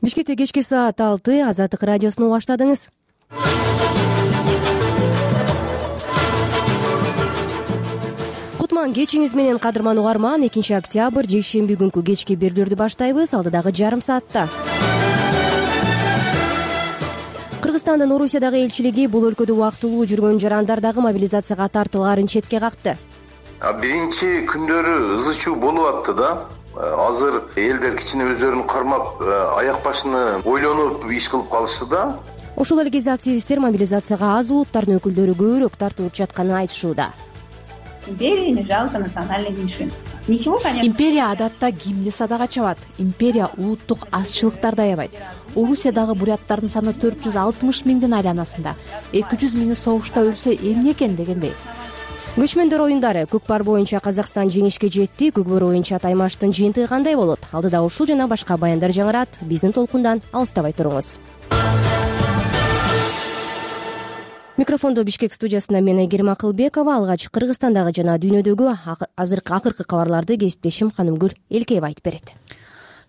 Бишкекте кечки саат 6 Азаттык радиосуну баштадыңыз. Кутман кечиңиз менен кадырман угарман. 2 октябрь жекшемби күнкү кечки берүүлөрдү баштайбыз. Алдыдагы жарым саатта Кыргызстандын Орусиядагы элчилиги бул өлкөдө убактылуу жүргөн жарандардагы мобилизацияга тартылаарын четке какты. Биринчи күндөрү ызы чуу болуп атты да. Азыр элдер кичине өздөрүн кармап, аяк башыны ойлонуп иш кылып калышты да. Ошол эле кезде активисттер мобилизацияга аз улуттардын өкүлдөрү көбүрөөк тартылып жатканын айтышууда. Империя не жалко национальное меньшинство. Ничего, конечно. Империя адатта кимди садага чабат. Империя улуттук азчылыктарды аябайт. Орусиядагы буряттардын саны 460 миңдин айланасында. 200 миңи согушта өлсө эмне экен дегендей. Көчмөндөр оюндары көкпар боюнча Казакстан жеңишке жетти. Көкбөр боюнча Таймаштын жыйынтыгы кандай болот? Алдыда ушул жана башка баяндар жаңырат. Биздин толкундан алыстабай туруңуз. Микрофондо Бишкек студиясында мен Айгерим Акылбекова. Алгач Кыргызстандагы жана дүйнөдөгү акыркы кабарларды кесиптешим Ханымгүл Элкеева айтып берет.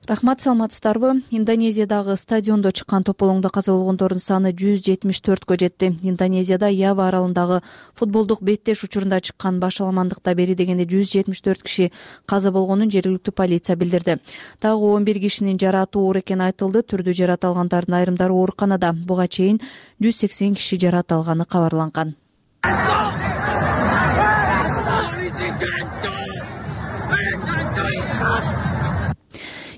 Рахмат, саламатсыздарбы? Индонезиядагы стадиондо чыккан тополоңдо каза болгондордун саны 174кө жетти. Индонезияда Ява аралындагы футболдук беттеш учурунда чыккан башаламандыкта бери дегенде 174 киши каза болгонун жергиликтүү полиция билдирди. Дагы 11 кишинин жарааты оор экени айтылды. Түрдүү жараат алгандардын айрымдары ооруканада. Буга чейин 180 киши жараат алганы кабарланган.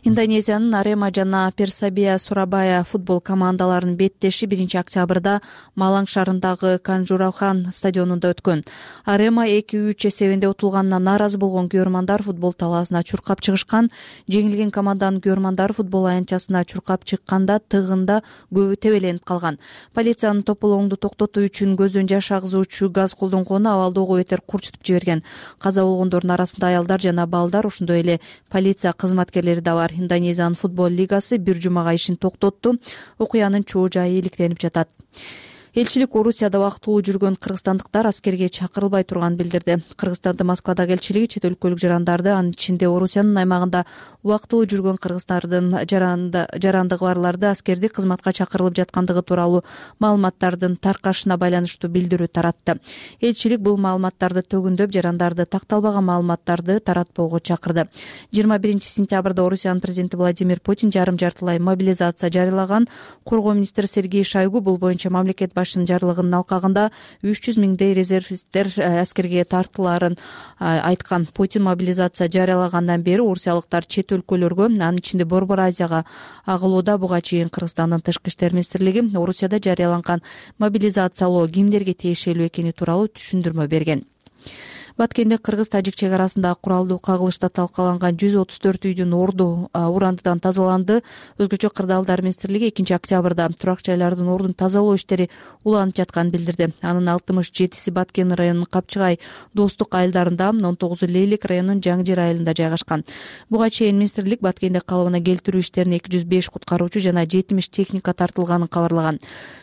Индонезиянын Арема жана Персабия Сурабая футбол командаларынын беттеши 1 октябрда Маланг шаарындагы Канжурахан стадионунда өткөн. Арема 2-3 эсебинде утулганына нааразы болгон күйөрмандар футбол талаасына чуркап чыгышкан. Жеңилген команданын күйөрмандары футбол аянтчасына чуркап чыкканда тыгында көбү тебеленип калган. Полициянын тополоңду токтотуу үчүн көздөн жаш агызуучу газ колдонгону абалдоого бетер курчутуп жиберген. Каза болгондордун арасында аялдар жана балдар, ошондой эле полиция кызматкерлери да бар. Индонезиянын футбол лигасы бир жумага ишин токтотту. Окуянын чоо жайы иликтенип жатат. Элчилик Орусияда убактылуу жүргөн кыргызстандыктар аскерге чакырылбай турганын билдирди. Кыргызстандын Москвадагы элчилиги чет өлкөлүк жарандарды, анын ичинде Орусиянын аймагында убактылуу жүргөн кыргыздардын жарандыгы барларды аскерди кызматка чакырылып жаткандыгы тууралуу маалыматтардын таркашына байланыштуу билдирүү таратты. Элчилик бул маалыматтарды төгүндөп, жарандарды такталбаган маалыматтарды таратпоого чакырды. 21 сентябрда Орусиянын президенти Владимир Путин жарым-жартылай мобилизация жарыялаган. Коргоо министри Сергей Шойгу бул боюнча мамлекет башчынын жарлыгынын алкагында 300 миңдей резервисттер аскерге тартылаарын айткан. Путин мобилизация жарыялагандан бери орусиялыктар чет өлкөлөргө, анын ичинде Борбор Азияга агылууда. Буга чейин Кыргызстандын Тышкы иштер министрлиги Орусияда жарыяланган мобилизациялоо кимдерге тиешелүү экени тууралуу түшүндүрмө берген. Баткенде кыргыз-тажик чек арасында куралдуу кагылышта талкаланган 134 үйдүн орду урандыдан тазаланды. Өзгөчө кырдаалдар министрлиги 2 октябрда турак жайлардын ордун тазалоо иштери уланып жатканын билдирди. Анын 67си Баткен районунун Капчыгай Достук айылдарында, 19 Лейлик районунун Жаңжир айылында жайгашкан. Буга чейин министрлик Баткенде калыбына келтирүү иштерине 205 куткаруучу жана 70 техника тартылганын кабарлаган.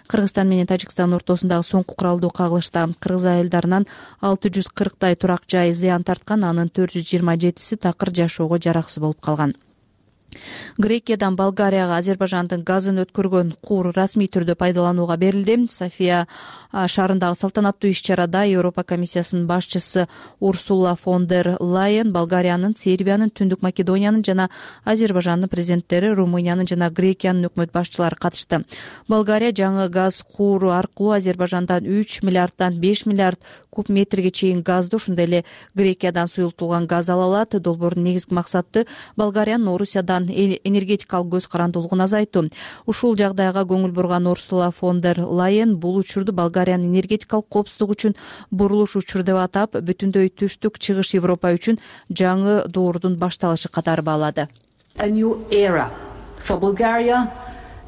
Кыргызстан менен Тажикстан ортосундагы соңку куралдуу кагылышта кыргыз айылдарынан 640 турак жай зыян тарткан, анын 427си такыр жашоого жараксыз болуп калган. Грекиядан Болгарияга Азербайжандын газын өткөргөн куур расмий түрдө пайдаланууга берилди. София шаарындагы салтанаттуу иш-чарада Европа комиссиясынын башчысы Урсула фон дер Лайен Болгариянын, Сербиянын, Түндүк Македониянын жана Азербайжандын президенттери, Румыниянын жана Грекиянын өкмөт башчылары катышты. Болгария жаңы газ кууру аркылуу Азербайжандан 3 миллиарддан 5 миллиард куб метрге чейин газды, ошондой эле Грекиядан суюлтулган газ ала алат. Долбоордун негизги максаты Болгариянын Орусиядан энергетикалык көз карандуулугун азайтуу. Ушул жагдайга көңүл бурган Урсула фон дер Лайен бул учурду Болгариянын энергетикалык коопсуздугу үчүн бурулуш учуру деп атап, бүтүндөй түштүк чыгыш Европа үчүн жаңы доордун башталышы катары баалады. A new era for Bulgaria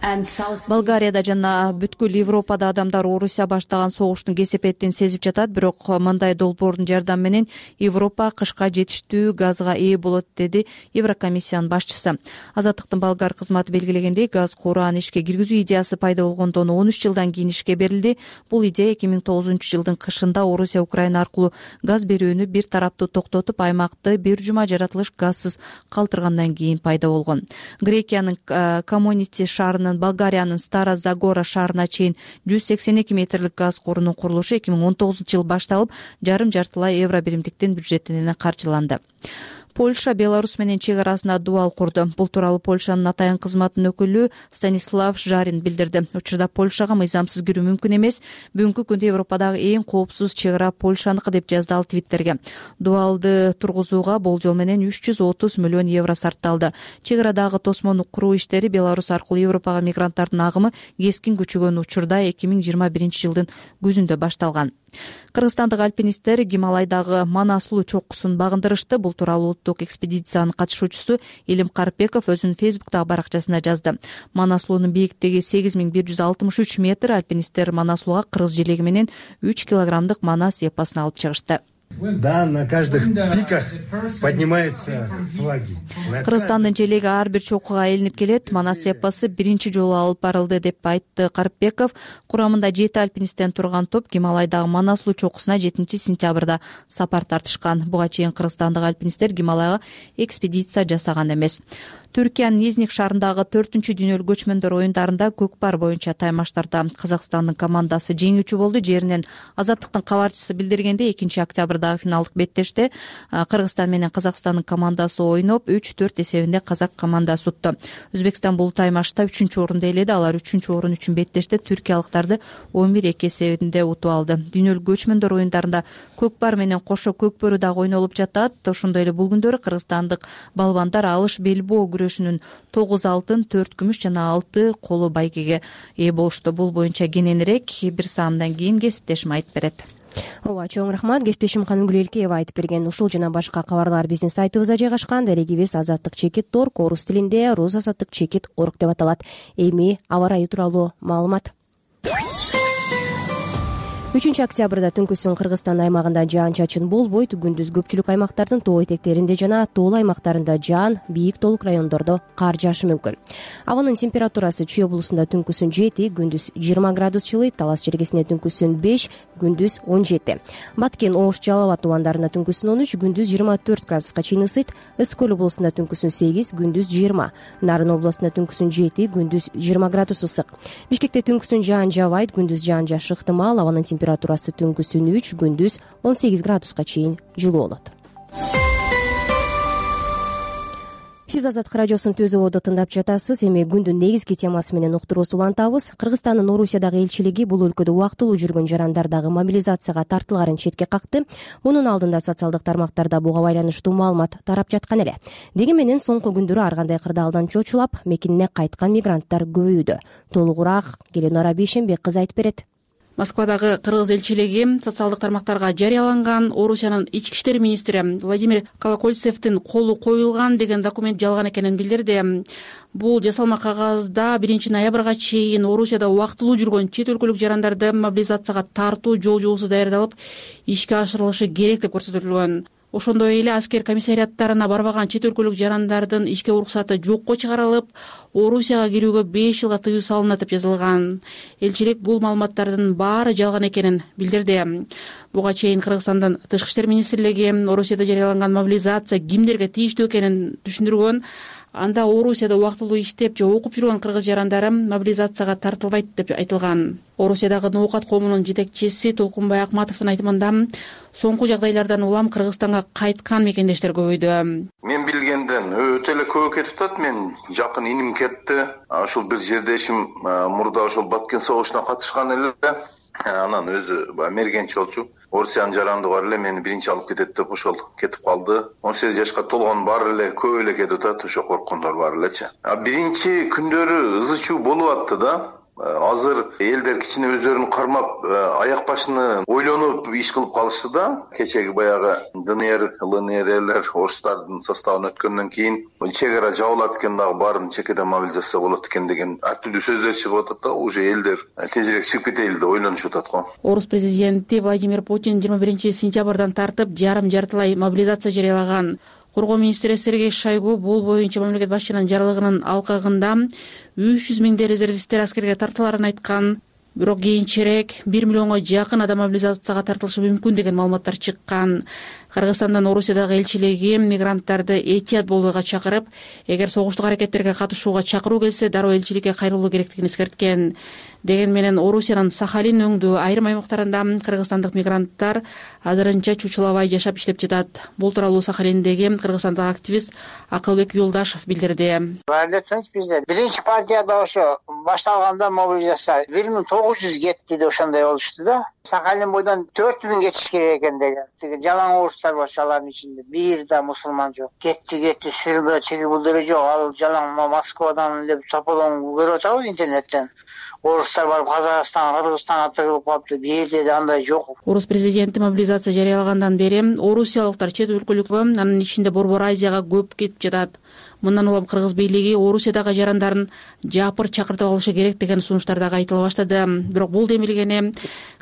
Болгарияда жана бүткүл Европада адамдар Орусия баштаган согуштун кесепетин сезип жатат, бирок мындай долбоордун жардамы менен Европа кышка жетиштүү газга ээ болот, деди Еврокомиссиянын башчысы. Азаттыктын болгар кызматы белгилегендей, газ кураан ишке киргизүү идеясы пайда болгондон 13 жылдан кийин ишке берилди. Бул идея 2009-жылдын кышында Орусия Украина аркылуу газ берүүнү бир тараптуу токтотуп, аймакты бир жума жаратылыш газсыз калтыргандан кийин пайда болгон. Грекиянын Комонити шаарынын Болгариянын Стара Загора шаарына чейин 182 метрлик газ корунун курулушу 2019-жыл башталып, жарым-жартылай евро биримдиктин бюджетинен каржыланды. Польша Беларусь менен чек арасында дуал курду. Бул тууралуу Польшанын атайын кызматынын өкүлү Станислав Жарин билдирди. Учурда Польшага мыйзамсыз кирүү мүмкүн эмес. Бүгүнкү күндө Европадагы эң коопсуз чек ара Польшаныкы, деп жазды ал Твиттерге. Дуалды тургузууга болжол менен 330 миллион евро сарпталды. Чек арадагы тосмону куруу иштери Беларусь аркылуу Европага мигранттардын агымы кескин күчөгөн учурда 2021-жылдын күзүндө башталган. Кыргызстандык альпинисттер Гималайдагы Манаслуу чоккусун багындырышты. Бул тууралуу улуттук экспедициянын катышуучусу Элим Карпеков өзүнүн Фейсбуктагы баракчасында жазды. Манаслуунун бийиктиги 8163 метр. Альпинисттер Манаслууга кыргыз желеги менен 3 килограммдык манас эпосун алып чыгышты. Да, на каждых пиках поднимаются флаги. Кыргызстандын желеги ар бир чокуга ээлинип келет. Манас эпосу биринчи жолу алып барылды, деп айтты Карпеков. Курамында 7 альпинисттен турган топ Гималайдагы Манаслуу чокусуна 7-сентябрда сапар тартышкан. Буга чейин кыргызстандык альпинисттер Гималайга экспедиция жасаган эмес. Түркиянын Изник шаарындагы 4-дүйнөлүк көчмөндөр оюндарында көкпар боюнча таймаштарда Казакстандын командасы жеңүүчү болду. Жеринен Азаттыктын кабарчысы билдиргендей, 2-октябрдагы финалдык беттеште Кыргызстан менен Казакстандын командасы ойноп 3-4 эсебинде Казак командасы утту. Өзбекстан бул таймашта 3-орунду ээледи. Алар 3-орун үчүн беттеште түркиялыктарды 11-2 эсебинде утуп алды. Дүйнөлүк көчмөндөр оюндарында көкпар менен кошо көкбөрү дагы ойнолуп жатат. Ошондой эле бул күндөрү кыргызстандык балбандар алыш белбоо күрөшүнүн 9 алтын, 4 күмүш жана 6 коло байгеге ээ болушту. Бул боюнча кененирээк бир саамдан кийин кесиптешим айтып берет. Ооба, чоң рахмат. Кесиптешим Канымгүл Элкеева айтып берген ушул жана башка кабарлар биздин сайтыбызда жайгашкан. Дарегибиз azattik.org, орус тилинде rusazattik.org деп аталат. Эми аба ырайы тууралуу маалымат. 3-октябрда түнкүсүн Кыргызстан аймагында жаан-чачын болбойт. Күндүз көпчүлүк аймактардын тоо этектеринде жана тоол аймактарында жаан, бийик тоолук райондордо кар жаашы мүмкүн. Абанын температурасы Чүй облусунда түнкүсүн 7, күндүз 20 градус жылыйт. Талас жергесинде түнкүсүн 5, күндүз 17. Баткен, Ош, Жалал абад тубандарында түнкүсүн 13, күндүз 24 градуска чейин ысыйт. Ысык көл облусунда түнкүсүн 8, күндүз 20. Нарын облусунда түнкүсүн 7, күндүз 20 градус ысык. Бишкекте түнкүсүн жаан жаабайт, күндүз жаан жаашы ыктымал. Абанын температурасы түнкүсүн 3, күндүз 18 градуска чейин жылуу болот. Сиз Азаттык радиосун Төзөбодо тыңдап жатасыз. Эми күндүн негизги темасы менен уктуруубузду улантабыз. Кыргызстандын Орусиядагы элчилиги бул өлкөдө убактылуу жүргөн жарандардагы мобилизацияга тартылгаарын четке какты. Мунун алдында социалдык тармактарда буга байланыштуу маалымат тарап жаткан эле. Деги менен соңку күндөрү ар кандай кырдаалдан чочулап, мекенине кайткан мигранттар көбөйүүдө. Толугураак Геленора Бейшенбек кызы айтып берет. Москвадагы кыргыз элчилиги социалдык тармактарга жарыяланган Орусиянын ички иштер министри Владимир Колокольцевдин колу коюлган деген документ жалган экенин билдирди. Бул жасалма кагазда 1 ноябрга чейин Орусияда убактылуу жүргөн чет өлкөлүк жарандарды мобилизацияга тартуу жол жобосу даярдалып, ишке ашырылышы керек деп көрсөтүлгөн. Ошондой эле аскер комиссариаттарына барбаган чет өлкөлүк жарандардын ишке уруксаты жокко чыгарылып, Орусияга кирүүгө 5 жылга тыюу салынат деп жазылган. Элчилик бул маалыматтардын баары жалган экенин билдирди. Буга чейин Кыргызстандын Тышкы иштер министрлиги Орусияда жарыяланган мобилизация кимдерге тийиштүү экенин түшүндүргөн. Анда Орусияда убактылуу иштеп же окуп жүргөн кыргыз жарандары мобилизацияга тартылбайт деп айтылган. Орусиядагы ноокат коомунун жетекчиси Толкунбай Акматовдун айтымында соңку жагдайлардан улам Кыргызстанга кайткан мекендештер көбөйдү. Мен билгенден өтө эле көп кетип атат. Мен жакын иним кетти. Ошол бир жердешим мурда ошол Баткен согушуна катышкан эле. Анан өзү мергенчи болчу. Орусиянын жаранды бар эле мени биринчи алып кетет деп ошол кетип калды. 18 жашка толгон бар эле көп эле кетип атат. Ошо корккондор бар элечи. Биринчи күндөрү ызы чуу болуп атты да. азыр элдер кичине өздөрүн кармап аяк башыны ойлонуп иш кылып калышты да. Кечеги баягы ДНР, ЛНРлер орустардын составына өткөндөн кийин чек ара жабылат экен, дагы баарын чекеден мобилизация болот экен деген ар түрдүү сөздөр чыгып атат да. Уже элдер тезирээк чыгып кетели деп ойлонушуп атат го. Орус президенти Владимир Путин 21-сентябрдан тартып жарым-жартылай мобилизация жарыялаган. Коргоо министри Сергей Шойгу бул боюнча мамлекет башчынын жарлыгынын алкагында 300 миңдей резервисттер аскерге тартыларын айткан. Бирок кийинчерээк 1 миллионго жакын адам мобилизацияга тартылышы мүмкүн деген маалыматтар чыккан. Кыргызстандын Орусиядагы элчилиги мигранттарды этият болууга чакырып, эгер согуштук аракеттерге катышууга чакыруу келсе, дароо элчиликке кайрылуу керектигин эскерткен. Деген менен Орусиянын Сахалин өңдүү айрым аймактарында кыргызстандык мигранттар азырынча чучулабай жашап иштеп жатат. Бул тууралуу Сахалиндеги кыргызстандык активист Акылбек Юлдашев билдирди. Билесиңиз, бизде биринчи партияда ошо башталганда мобилизация 1900 кетти деп ошондой болушту да. Сахалин бойдон 4000 кетиш керек экен деген. Тиги жалаң орустар бар, алардын ичинде бир да мусулман жок. Кетти сүрбө тиги бул деле жок. Ал жалаң Москвадан деп тополоң көрүп атабыз интернеттен. Орустар барып Казакстан, Кыргызстанга тыгылып калыптыр. Бир жерде да андай жок. Орус президенти мобилизация жарыялагандан бери орусиялыктар чет өлкөлүк, анын ичинде Борбор Азияга көп кетип жатат. Мындан улам кыргыз бийлиги Орусиядагы жарандарын жапыр чакыртып алышы керек деген сунуштар дагы айтыла баштады. Бирок бул демилгени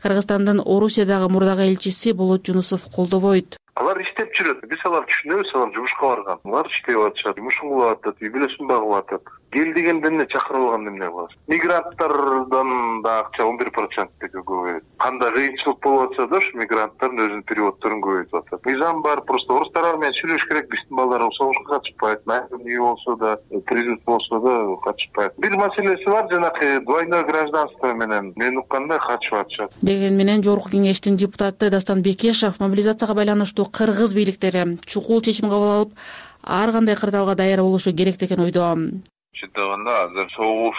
Кыргызстандын Орусиядагы мурдагы элчиси Болот Жунусов колдобойт. Алар иштеп жүрөт. Биз алар түшүнөбүз, алар жумушка барган. Алар иштеп атышат, жумушун кылып атат, үй бүлөсүн багып атат. Кел дегенде эмне чакырып алганда эмне кыласыз? Мигранттардан да акча 11% көбөйөт. Кандай кыйынчылык болуп атса да, ушу мигранттардын өзүнүн переводдорун көбөйтүп атат. Мыйзам бар, просто орустар менен сүйлөшүш керек. Биздин балдар согушка катышпайт, үй болсо да, призыв болсо да катышпайт. Бир маселеси бар, жанакы двойной гражданство менен мен уккандай катышып атышат. Деген менен Жогорку кеңештин депутаты Дастан Бекешев мобилизацияга байланыштуу кыргыз бийликтери чукул чечим кабыл алып, ар кандай кырдаалга даяр болушу керек деген ойдо. Чындыгында азыр согуш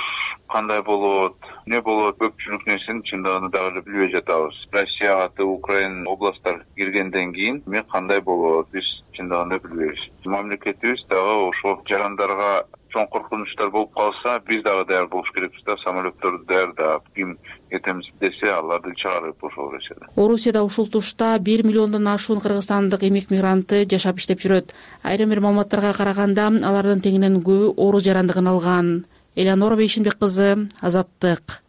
кандай болот, эмне болот, көпчүлүк нерсени чындыгында дагы эле билбей жатабыз. Россияга Украина областтар киргенден кийин эме кандай болот, биз чындыгында билбейбиз. Мамлекетибиз дагы ошол жарандарга чоң коркунучтар болуп калса, биз дагы даяр болуш керекпиз да, самолетторду даярдап, ким кетемиз десе, аларды чыгарып ошол нерседе. Орусияда ушул тушта 1 миллиондон ашуун кыргызстандык эмек мигранты жашап иштеп жүрөт. Айрым бир маалыматтарга караганда, алардын теңинен көбү орус жарандыгын алган. Элеонора Бейшинбек кызы, Азаттык.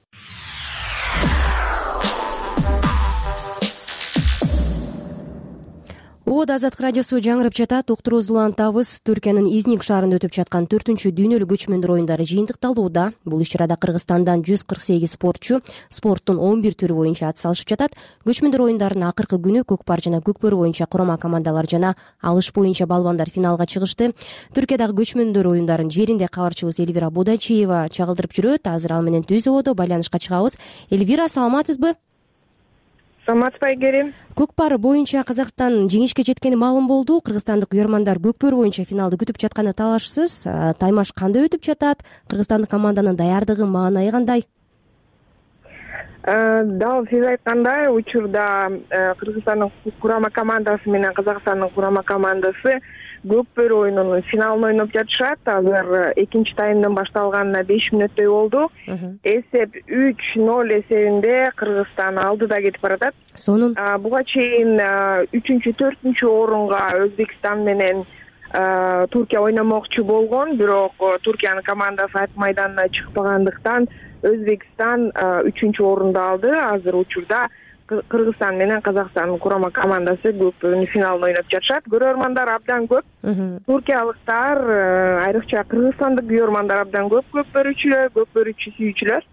Азаттык радиосу жаңырып жатат. Уктуруубузду улантабыз. Түркиянын Изник шаарында өтүп жаткан 4-чү дүйнөлүк көчмөндөр оюндары жыйынтыкталууда. Бул иш-чарада Кыргызстандан 148 спортчу спорттун 11 түрү боюнча ат салышып жатат. Көчмөндөр оюндарынын акыркы күнү көк пар жана көк бөрү боюнча курама командалар жана алыш боюнча балбандар финалга чыгышты. Түркиядагы көчмөндөр оюндарын жеринде кабарчыбыз Эльвира Будачиева чагылдырып жүрөт. Азыр ал менен түз ободо байланышка чыгабыз. Эльвира, саламатсызбы? Саламатсызбы, Айгерим. Көк пар боюнча Казакстан жеңишке жеткени маалым болду. Кыргызстандык уярмандар көк бөрү боюнча финалды күтүп жатканы талашсыз. Таймаш кандай өтүп жатат? Кыргызстандык команданын даярдыгы, маанайы кандай? Дал сиз айткандай, учурда Кыргызстандын курама командасы менен Казакстандын курама командасы көк бөрү оюнунун финалын ойноп жатышат. Азыр экинчи таймдын башталганына 5 мүнөттөй болду. Эсеп 3-0 эсебинде Кыргызстан алдыда кетип баратат. Сонун буга чейин 3-4 орунга Өзбекстан менен Туркия ойномокчу болгон, бирок Туркиянын командасы ат майданына чыкпагандыктан Өзбекстан 3 орунду алды. Азыр учурда Кыргызстан менен Казакстандын курама командасы көк бөрүнүн финалын ойноп жатышат. Көрөрмандар абдан көп. Туркиялыктар, айрыкча кыргызстандык көрөрмандар абдан көп. Көк бөрүчү сүйүүчүлөр.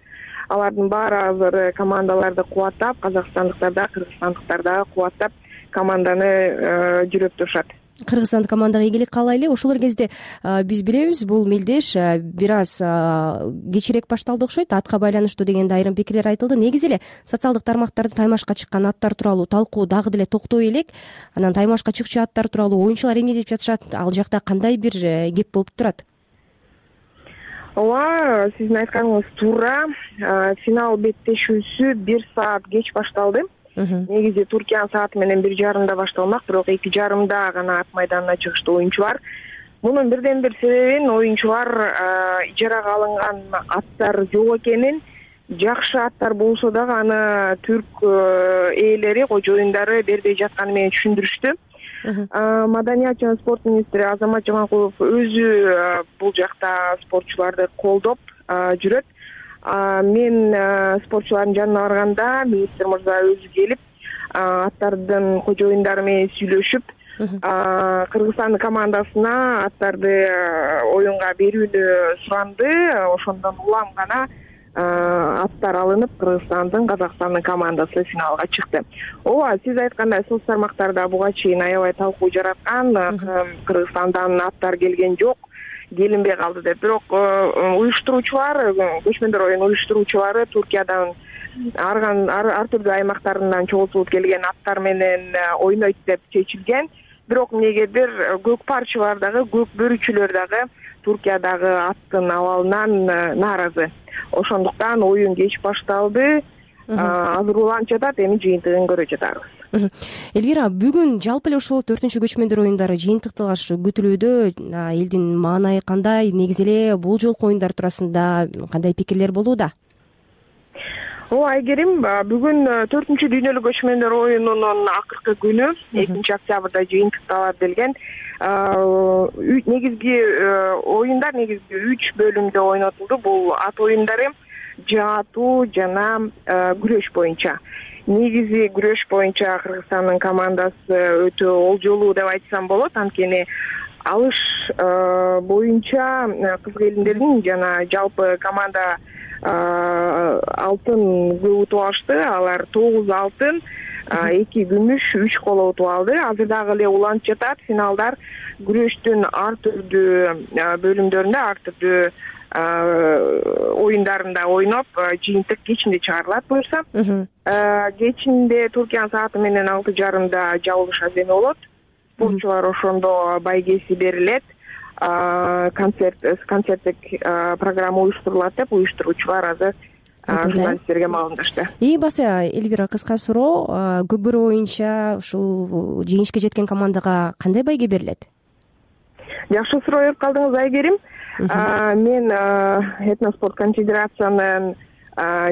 Алардын баары азыр командаларды кубаттап, казакстандыктар да, кыргызстандыктар да кубаттап команданы жүрөп турушат. Кыргызстандык командага ийгилик каалайлы. Ошол кезде биз билебиз, бул мелдеш бир аз кечирээк башталды окшойт. Атка байланыштуу дегенде айрым пикирлер айтылды. Негизи эле социалдык тармактарда таймашка чыккан аттар тууралуу талкуу дагы деле токтой элек. Анан таймашка чыкчу аттар тууралуу оюнчулар эмне деп жатышат? Ал жакта кандай бир кеп болуп турат? Ооба, сиздин айтканыңыз туура. Финал беттешүүсү 1 саат кеч башталды. Негизи Туркиянын сааты менен 1:30 башталмак, бирок 2:30 гана ат майданына чыгышты оюнчулар. Мунун бирден бир себебин оюнчулар ижарага алынган аттар жок экенин жакшы аттар болсо дагы аны түрк ээлери, кожоюндары бербей жатканы менен түшүндүрүштү. Маданият жана спорт министри Азамат Жаманкулов өзү бул жакта спортчуларды колдоп жүрөт. Мен спортчулардын жанына барганда министр мырза өзү келип, аттардын кожоюндары менен сүйлөшүп, Кыргызстандын командасына аттарды оюнга берүүнү суранды. Ошондон улам гана аттар алынып, Кыргызстандын, Казакстандын командасы финалга чыкты. Ооба, сиз айткандай соц тармактарда буга чейин аябай талкуу жараткан. Кыргызстандан аттар келген жок, келинбей калды деп. Бирок уюштуруучулар, көчмөндөр оюн уюштуруучулары Туркиядан ар түрдүү аймактарынан чогултулуп келген аттар менен ойнойт деп чечилген. Бирок эмнегедир көк парчылар дагы, көк бөрүчүлөр дагы Туркиядагы аттын абалынан нааразы. Ошондуктан оюн кеч башталды. Азырланып жатат, эми жыйынтыгын көрө жатабыз. Элвира, бүгүн жалпы эле ушул 4-чү көчмөндөр оюндары жыйынтыкталышы күтүлүүдө. Элдин маанайы кандай? Негизи эле бул жолку оюндар туурасында кандай пикирлер болууда? Ооба, Айгерим, бүгүн 4-чү дүйнөлүк көчмөндөр оюнунун акыркы күнү 2 октябрда жыйынтыкталат делген. Негизги оюндар 3 бөлүмдө ойнотулду. Бул ат оюндары, жаатуу жана күрөш боюнча. Негизи күрөш боюнча Кыргызстандын командасы өтө олжолуу деп айтсам болот. Анткени алыш боюнча кыз келиндердин жана жалпы команда алтын көп утуп алышты. Алар 9 алтын, 2 күмүш, 3 коло утуп алды. Азыр дагы эле уланып жатат. Финалдар күрөштүн ар түрдүү бөлүмдөрүндө, ар түрдүү оюндарында ойноп, жыйынтык кечинде чыгарылат буюрса. Кечинде Туркиянын сааты менен 6:30 жабылыш аземи болот. Спортчулар ошондо байгеси берилет. Концерттик программа уюштурулат деп уюштуруучулар азыр журналисттерге маалымдашты. Баса, Элвира, кыска суроо, көк бөрү боюнча ушул жеңишке жеткен командага кандай байге берилет? Жакшы суроо берип калдыңыз, Айгерим. Мен Этноспорт конфедерациянын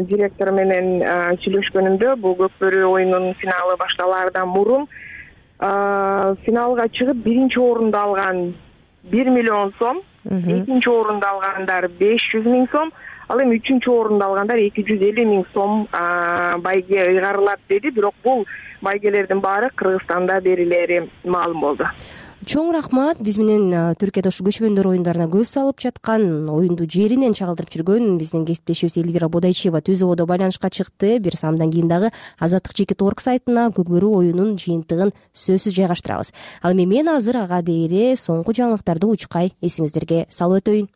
директору менен сүйлөшкөнүмдө бул көк бөрү оюнунун финалы башталаардан мурун финалга чыгып 1-чи орунду алган 1 миллион сом, 2-чи орунду алгандар 500 000 сом, ал эми 3-чү орунду алгандар 250 000 сом байге ыйгарылат деди. Бирок бул байгелердин баары Кыргызстанда берилери маалым болду. Чоң рахмат. Биз менен Түркияда ушу көчмөндөр оюндарына көз салып жаткан, оюнду жеринен чагылдырып жүргөн биздин кесиптешибиз Элвира Бодайчиева түзүүбодо байланышка чыкты. Бир самдан кийин дагы Азаттык.org сайтына көк бөрү оюнунун жыйынтыгын сөзсүз жайгаштырабыз. Ал эми мен азыр ага дейре соңку жаңылыктарды учкай эсиңиздерге салып өтөйүн.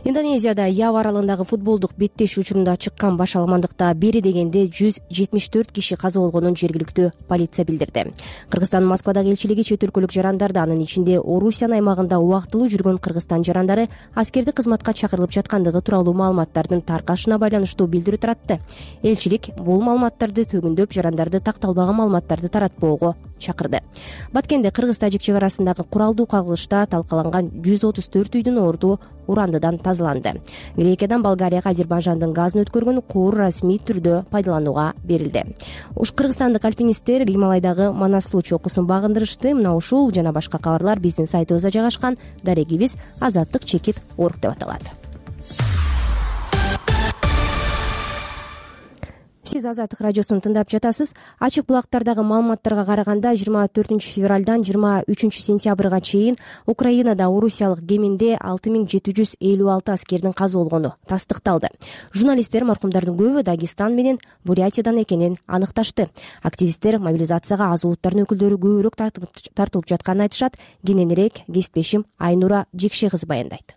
Индонезияда Ява аралындагы футболдук беттешүү учурунда чыккан баш аламандыкта бери дегенде 174 киши каза болгонун жергиликтүү полиция билдирди. Кыргызстандын Москвадагы элчилиги чет өлкөлүк жарандарды, анын ичинде Орусиянын аймагында убактылуу жүргөн Кыргызстан жарандары аскердик кызматка чакырылып жаткандыгы тууралуу маалыматтардын таркашына байланыштуу билдирүү таратты. Элчилик бул маалыматтарды төгүндөп, жарандарды такталбаган маалыматтарды таратпоого чакырды. Баткенде кыргыз-тажик чек арасындагы куралдуу кагылышта талкаланган 134 үйдүн орду урандыдан тазаланды. Грекиядан Болгарияга Азербайжандын газын өткөргөн куур расмий түрдө пайдаланууга берилди. Кыргызстандык альпинисттер Гималайдагы Манаслуу чокусун багындырышты. Мына ушул жана башка кабарлар биздин сайтыбызда жайгашкан. Дарегибиз Азаттык.org деп аталат. Сиз Азаттык радиосун тыңдап жатасыз. Ачык булактардагы маалыматтарга караганда 24 февралдан 23 сентябрга чейин Украинада орусиялык кеминде 6756 аскердин каза болгону тастыкталды. Журналисттер маркумдардын көбү Дагестан менен Бурятиядан экенин аныкташты. Активисттер мобилизацияга аз улуттардын өкүлдөрү көбүрөөк тартылып жатканын айтышат. Кененирээк кесиптешим Айнура Жекше кызы баяндайт.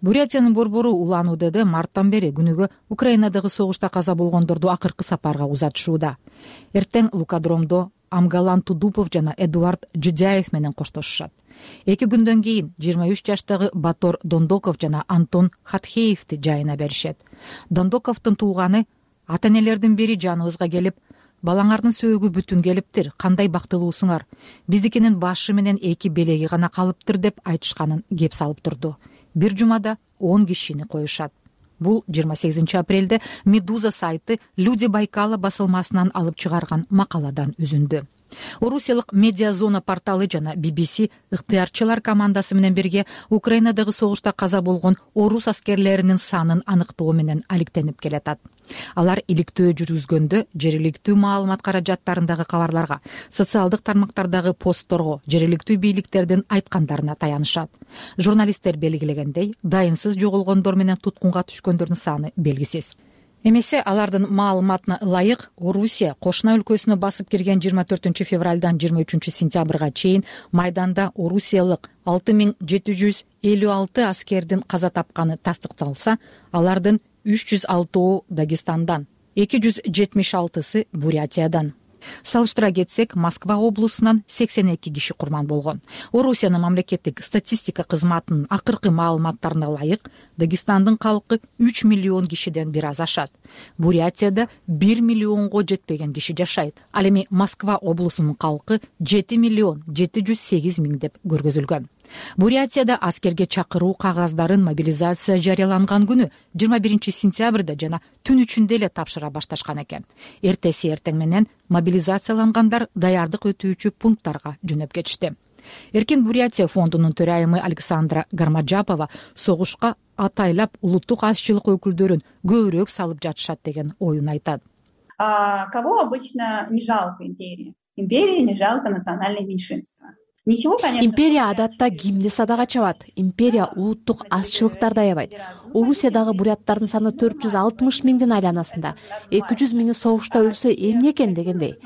Бурятиянын борбору Улан Удеде марттан бери күнүгө Украинадагы согушта каза болгондорду акыркы сапарга узатышууда. Эртең Лукадромдо Амгалан Тудупов жана Эдуард Жудяев менен коштошушат. 2 күндөн кийин 23 жаштагы Батор Дондоков жана Антон Хатхеевди жайына беришет. Дондоковдун тууганы ата-энелердин бири жаныбызга келип, балаңардын сөөгү бүтүн келиптир, кандай бактылуусуңар, биздикинин башы менен 2 белеги гана калыптыр деп айтышканын кеп салып турду. Бир жумада 10 кишини коюшат. бул 28 апрелде Медуза сайты Люди Байкала басылмасынан алып чыгарган макаладан үзүндү. Орусиялык Медиа Зона порталы жана BBC ыктыярчылар командасы менен бирге Украинадагы согушта каза болгон орус аскерлеринин санын аныктоо менен алектенип келатат. Алар иликтөө жүргүзгөндө жергиликтүү маалымат каражаттарындагы кабарларга, социалдык тармактардагы постторго, жергиликтүү бийликтердин айткандарына таянышат. Журналисттер белгилегендей, дайынсыз жоголгондор менен туткунга түшкөндөрдүн саны белгисиз. Эмесе алардын маалыматына ылайык Орусия кошуна өлкөсүнө басып кирген 24 февралдан 23 сентябрга чейин майданда орусиялык 6756 аскердин каза тапканы тастыкталса, алардын 306 Дагестандан, 276 Бурятиядан. Салыштыра кетсек, Москва облусунан 82 киши курман болгон. Орусиянын мамлекеттик статистика кызматынын акыркы маалыматтарына ылайык, Дагестандын калкы 3 миллион кишиден бир аз ашат. Бурятияда 1 миллионго жетпеген киши жашайт. Ал эми Москва облусунун калкы 7 миллион 708 миң деп көргөзүлгөн. Бурятияда аскерге чакыруу кагаздарын мобилизация жарыяланган күнү 21 сентябрда жана түн ичинде эле тапшыра башташкан экен. Эртеси эртең менен мобилизациялангандар даярдык өтүүчү пункттарга жөнөп кетишти. Эркин Бурятия фондунун төрайымы Александра Гармаджапова согушка атайлап улуттук азчылык өкүлдөрүн көбүрөөк салып жатышат деген оюн айтат. Кого обычно не жалко империи? Империи не жалко национальное меньшинство. Империя адатта кимди садага чабат. Империя улуттук азчылыктарды аябайт. Орусиядагы буряттардын саны 460 миңдин айланасында. 200 миңи согушта өлсө эмне экен дегендей.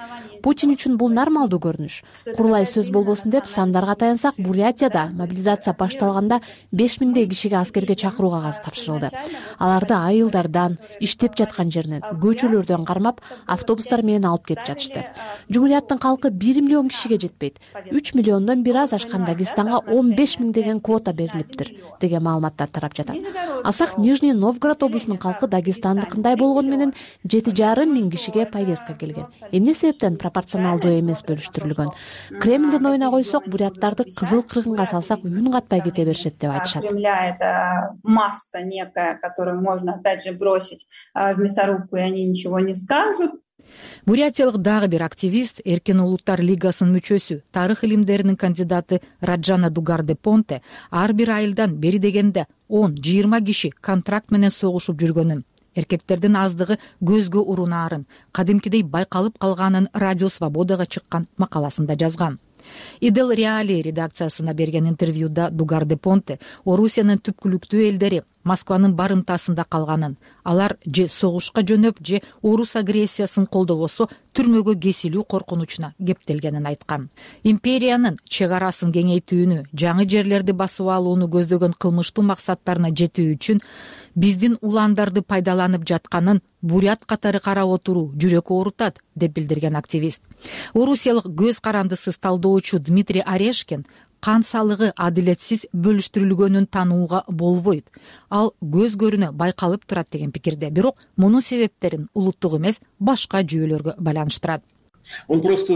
Путин үчүн бул нормалдуу көрүнүш. Курулай сөз болбосун деп сандарга таянсак, Бурятияда мобилизация башталганда 5 миңдей кишиге аскерге чакыруу кагазы тапшырылды. Аларды айылдардан, иштеп жаткан жеринен, көчөлөрдөн кармап, автобустар менен алып кетип жатышты. Жумурияттын калкы 1 миллион кишиге жетпейт. 3 миллиондон бир аз ашкан Дагестанга 15 миң деген квота берилиптир деген маалыматтар тарап жатат. Алсак, Нижний Новгород облусунун калкы Дагестандыкындай болгону менен 7,5 миң кишиге повестка келген. Эмне себептен пропорционалдуу эмес бөлүштүрүлгөн? Кремлдин оюна койсок, буряттарды кызыл кыргынга салсак, үн катпай кете беришет деп айтышат. Кремля это масса некая, которую можно опять же бросить в мясорубку, и они ничего не скажут. Бурятиялык дагы бир активист, Эркин улуттар лигасынын мүчөсү, тарых илимдеринин кандидаты Раджана Дугардепонте ар бир айылдан бери дегенде 10-20 киши контракт менен согушуп жүргөнүн, эркектердин аздыгы көзгө урунаарын, кадимкидей байкалып калганын Радио Свободага чыккан макаласында жазган. Идел Реали редакциясына берген интервьюда Дугардепонте Орусиянын түпкүлүктүү элдери Москванын барымтасында калганын, алар же согушка жөнөп, же орус агрессиясын колдобосо түрмөгө кесилүү коркунучуна кептелгенин айткан. Империянын чек арасын кеңейтүүнү, жаңы жерлерди басып алууну көздөгөн кылмыштуу максаттарына жетүү үчүн биздин уландарды пайдаланып жатканын бурят катары карап отуруу жүрөк оорутат, деп билдирген активист. Орусиялык көз карандысыз талдоочу Дмитрий Орешкин кан салыгы адилетсиз бөлүштүрүлгөнүн таанууга болбойт. Ал көз көрүнө байкалып турат деген пикирде, бирок мунун себептерин улуттук эмес, башка жүйөлөргө байланыштырат. Он просто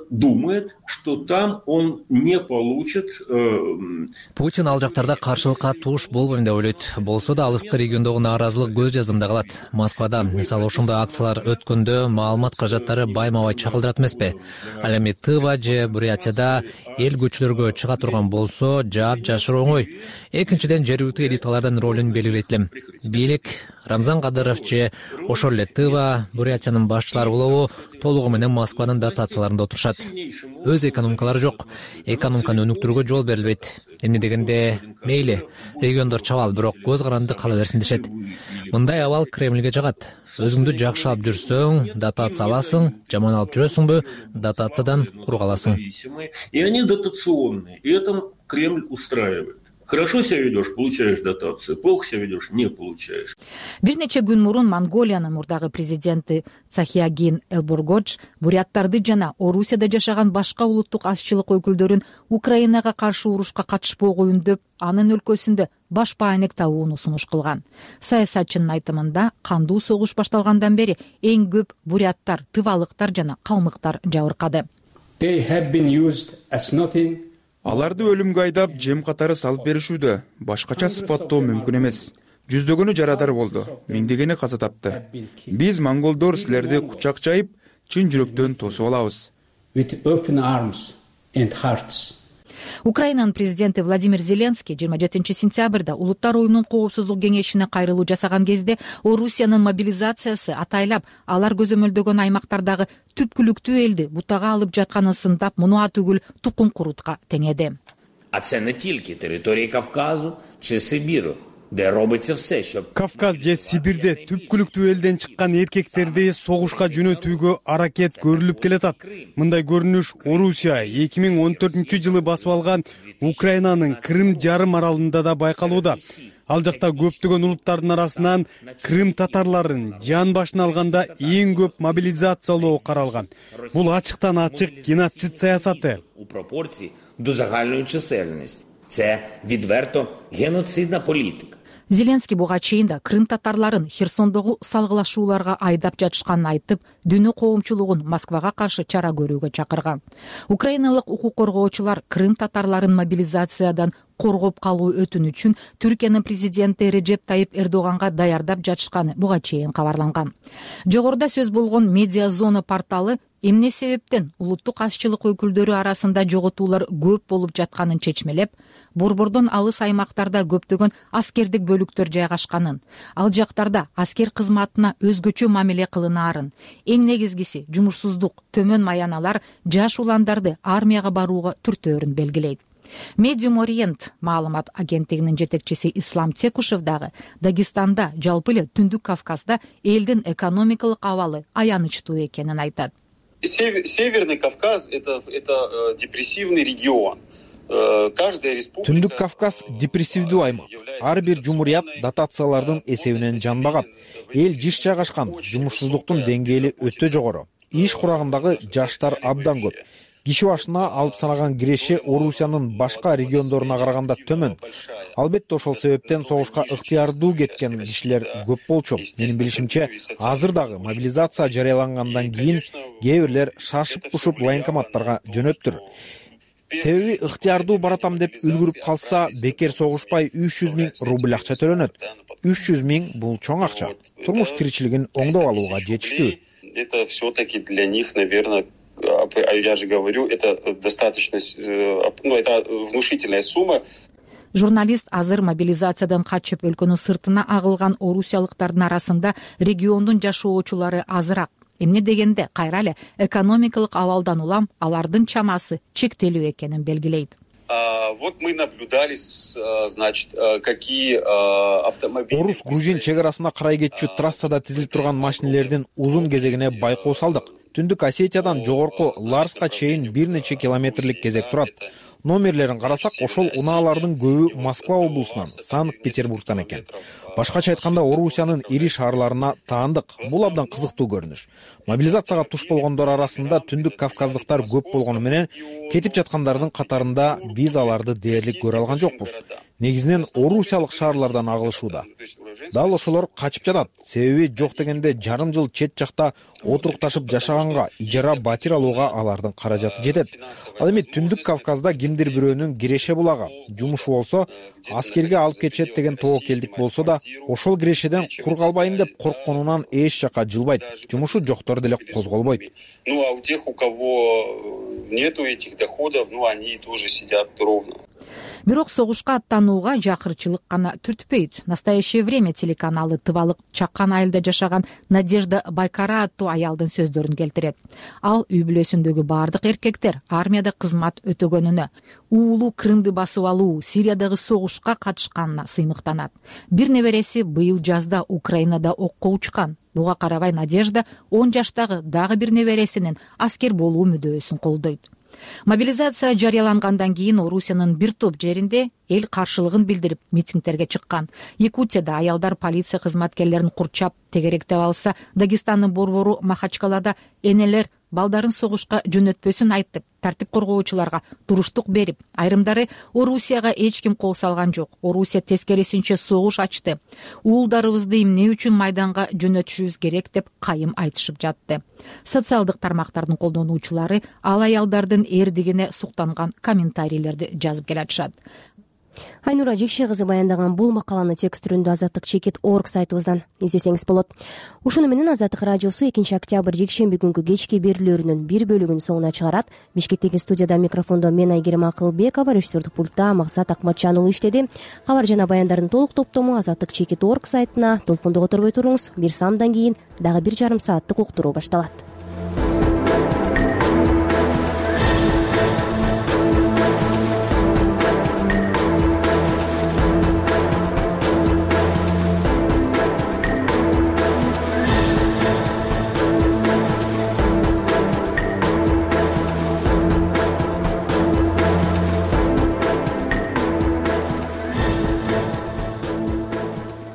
думает, что там он не получит. Путин ал жактарда каршылыкка туш болбойм деп ойлойт. Болсо да алыскы региондогу нааразылык көз жазымда калат. Москвада, мисалы, ошондой акциялар өткөндө маалымат каражаттары байма-бай чагылдырат эмеспи? Ал эми Тыва же Бурятияда эл көчөлөргө чыга турган болсо, жаап жашыруу оңой. Экинчиден, жергиликтүү элиталардын ролун белгилейт элем. Бийлик Рамзан Кадыров же ошол эле Тыва, Бурятиянын башчылары болобу толугу менен Москванын дотацияларында отурушат. Өз экономикалары жок. Экономиканы өнүктүрүүгө жол берилбейт. Эмне дегенде, мейли, региондор чабал, бирок көз каранды кала берсин дешет. Мындай абал Кремльге жагат. Өзүңдү жакшы алып жүрсөң, дотация аласың, жаман алып жүрөсүңбү, дотациядан кур каласың. И они дотационные, и это Кремль устраивает. Хорошо себя ведешь, получаешь дотацию. Плохо себя ведешь, не получаешь. Бир нече күн мурун Монголиянын мурдагы президенти Цахиагин Элборгодж буряттарды жана Орусияда жашаган башка улуттук азчылык өкүлдөрүн Украинага каршы урушка катышпоо коюн деп, анын өлкөсүндө баш баанек табууну сунуш кылган. Саясатчынын айтымында, кандуу согуш башталгандан бери эң көп буряттар, тывалыктар жана калмыктар жабыркады. Аларды өлүмгө айдап, жем катары салып беришүүдө, башкача сыпаттоо мүмкүн эмес. жүздөгөнү жарадар болду, миңдегени каза тапты. Биз монголдор силерди кучак жайып, чын жүрөктөн тосуп алабыз. Украинанын президенти Владимир Зеленский 27 сентябрда Улуттар уюмунун коопсуздук кеңешине кайрылуу жасаган кезде Орусиянын мобилизациясы атайлап алар көзөмөлдөгөн аймактардагы түпкүлүктүү элди бутага алып жатканын сындап, муну түгүл тукум курутка теңеди. А це не тільки території Кавказу чи Сибіру, де робиться все, щоб Кавказ же Сибирде түпкүлүктүү элден чыккан эркектерди согушка жөнөтүүгө аракет көрүлүп келатат. Мындай көрүнүш Орусия 2014-жылы басып алган Украинанын Крым жарым аралында да байкалууда. Ал жакта көптөгөн улуттардын арасынан Крым татарларын жан башына алганда эң көп мобилизациялоо каралган. Бул ачыктан ачык геноцид саясаты. У пропорції до загальної чисельності. Це відверто геноцидна політика. Зеленский буга чейин да Крым татарларын Херсондогу салгылашууларга айдап жатышканын айтып, дүйнө коомчулугун Москвага каршы чара көрүүгө чакырган. Украиналык укук коргоочулар Крым татарларын мобилизациядан коргоп калуу өтүнүчүн Түркиянын президенти Режеп Тайип Эрдоганга даярдап жатышканы буга чейин кабарланган. Жогоруда сөз болгон Медиа Зона порталы эмне себептен улуттук азчылык өкүлдөрү арасында жоготуулар көп болуп жатканын чечмелеп, борбордон алыс аймактарда көптөгөн аскердик бөлүктөр жайгашканын, ал жактарда аскер кызматына өзгөчө мамиле кылынаарын, эң негизгиси жумушсуздук, төмөн маяналар жаш уландарды армияга барууга түртөөрүн белгилейт. Medium Orient маалымат агенттигинин жетекчиси Ислам Текушев дагы Дагестанда, жалпы эле Түндүк Кавказда элдин экономикалык абалы аянычтуу экенин айтат. Северный Кавказ — это депрессивный регион. Түндүк Кавказ депрессивдүү аймак. Ар бир жумурият дотациялардын эсебинен жан багат. Эл жыш жайгашкан, жумушсуздуктун деңгээли өтө жогору. Иш курагындагы жаштар абдан көп. Киши башына алып санаган киреше Орусиянын башка региондоруна караганда төмөн. Албетте ошол себептен согушка ыктыярдуу кеткен кишилер көп болчу. Менин билишимче, азыр дагы мобилизация жарыялангандан кийин кээ бирлер шашып-пушуп военкоматтарга жөнөптүр. Себеби ыктыярдуу баратам деп үлгүрүп калса, бекер согушпай 300 000 рубль акча төлөнөт. 300 000 бул чоң акча. Турмуш тиричилигин оңдоп алууга жетиштүү. Это все-таки для них, наверное, я же говорю, это достаточно, это внушительная сумма. Журналист азыр мобилизациядан качып өлкөнүн сыртына агылган орусиялыктардын арасында региондун жашоочулары азыраак. Эмне дегенде кайра эле экономикалык абалдан улам алардын чамасы чектелүү экенин белгилейт. Вот мы наблюдали, значит, какие автомобили. Орус-грузин чек арасына карай кетчү трассада тизилип турган машинелердин узун кезегине байкоо салдык. Түндүк Осетиядан жогорку Ларска чейин бир нече километрлик кезек турат. Номерлерин карасак, ошол унаалардын көбү Москва облусунан, Санкт-Петербургтан экен. Башкача айтканда, Орусиянын ири шаарларына таандык. Бул абдан кызыктуу көрүнүш. Мобилизацияга туш болгондор арасында Түндүк Кавказдыктар көп болгону менен, кетип жаткандардын катарында биз аларды дээрлик көрө алган жокпуз. Негизинен орусиялык шаарлардан агылышууда. Дал ошолор качып жатат. Себеби жок дегенде жарым жыл чет жакта отурукташып жашаганга, ижара батир алууга алардын каражаты жетет. Ал эми Түндүк Кавказда кимдир бирөөнүн киреше булагы, жумушу болсо, аскерге алып кетет деген тобокелдик болсо да, ошол кирешеден кур калбайын деп коркконунан эч жака жылбайт. Жумушу жоктор деле козголбойт. Ну а у тех, у кого нету этих доходов, они тоже сидят ровно. Бирок согушка аттанууга жакырчылык гана түртпөйт. Настоящее время телеканалы Тывалык Чакан айылда жашаган Надежда Байкара аттуу аялдын сөздөрүн келтирет. Ал үй бүлөсүндөгү бардык эркектер армияда кызмат өтөгөнүнө, уулу Крымды басып алуу, Сириядагы согушка катышканына сыймыктанат. Бир небереси быйыл жазда Украинада окко учкан. Буга карабай Надежда 10 жаштагы дагы бир небересинин аскер болуу мүдөөсүн колдойт. Мобилизация жарыялангандан кийин Орусиянын бир топ жеринде эл каршылыгын билдирип митингтерге чыккан. Якутияда аялдар полиция кызматкерлерин курчап тегеректеп алса, Дагестандын борбору Махачкалада энелер балдарын согушка жөнөтпөсүн айтып, тартип коргоочуларга туруштук берип, айрымдары Орусияга эч ким кол салган жок. Орусия тескерисинче согуш ачты. Уулдарыбызды эмне үчүн майданга жөнөтүшүбүз керек деп кайым айтышып жатты. Социалдык тармактардын колдонуучулары ал аялдардын эрдигине суктанган комментарийлерди жазып келатышат. Айнура Жекше кызы баяндаган бул макаланы текст түрүндө Азаттык чекит орг сайтыбыздан издесеңиз болот. Ушуну менен Азаттык радиосу 2 октябрь жекшемби күнкү кечки берүүлөрүнүн бир бөлүгүн соңуна чыгарат. Бишкектеги студияда микрофондо мен Айгерим Акылбекова, режиссердик пультта Максат Акматжан уулу иштеди. Кабар жана баяндардын толук топтому Азаттык чекит орг сайтына толкундо которбой туруңуз. Бир самдан кийин дагы 1,5 сааттык уктуруу башталат.